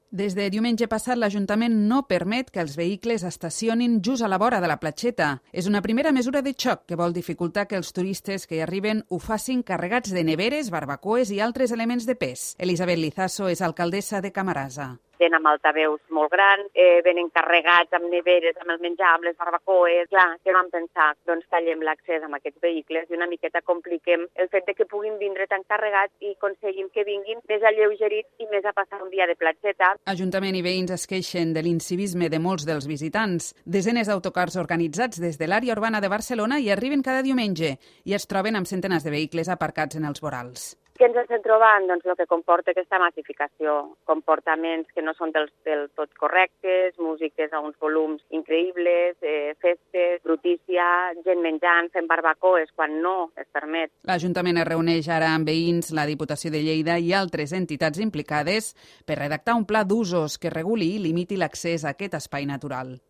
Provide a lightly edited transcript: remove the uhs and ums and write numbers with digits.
Des de diumenge passat, l'Ajuntament no permet que els vehicles estacionin just a la vora de la platgeta. És una primera mesura de xoc que vol dificultar que els turistes que hi arriben ho facin carregats de neveres, barbacoes i altres elements de pes. Elisabet Lizaso és alcaldessa de Camarasa. Venen amb altaveus molt grans, venen carregats amb neveres, amb el menjar, amb les barbacoes. Clar, què vam pensar? Doncs tallem l'accés amb aquests vehicles i una miqueta compliquem el fet de que puguin vindre tan carregats i aconseguim que vinguin més alleugerits i més a passar un dia de platgeta. Ajuntament i veïns es queixen de l'incivisme de molts dels visitants. Desenes d'autocars organitzats des de l'àrea urbana de Barcelona hi arriben cada diumenge i es troben amb centenars de vehicles aparcats en els vorals. Què ens estem trobant? Doncs el que comporta aquesta massificació, comportaments que no són del tot correctes, músiques a uns volums increïbles, festes, brutícia, gent menjant, fent barbacoes quan no es permet. L'Ajuntament es reuneix ara amb veïns, la Diputació de Lleida i altres entitats implicades per redactar un pla d'usos que reguli i limiti l'accés a aquest espai natural.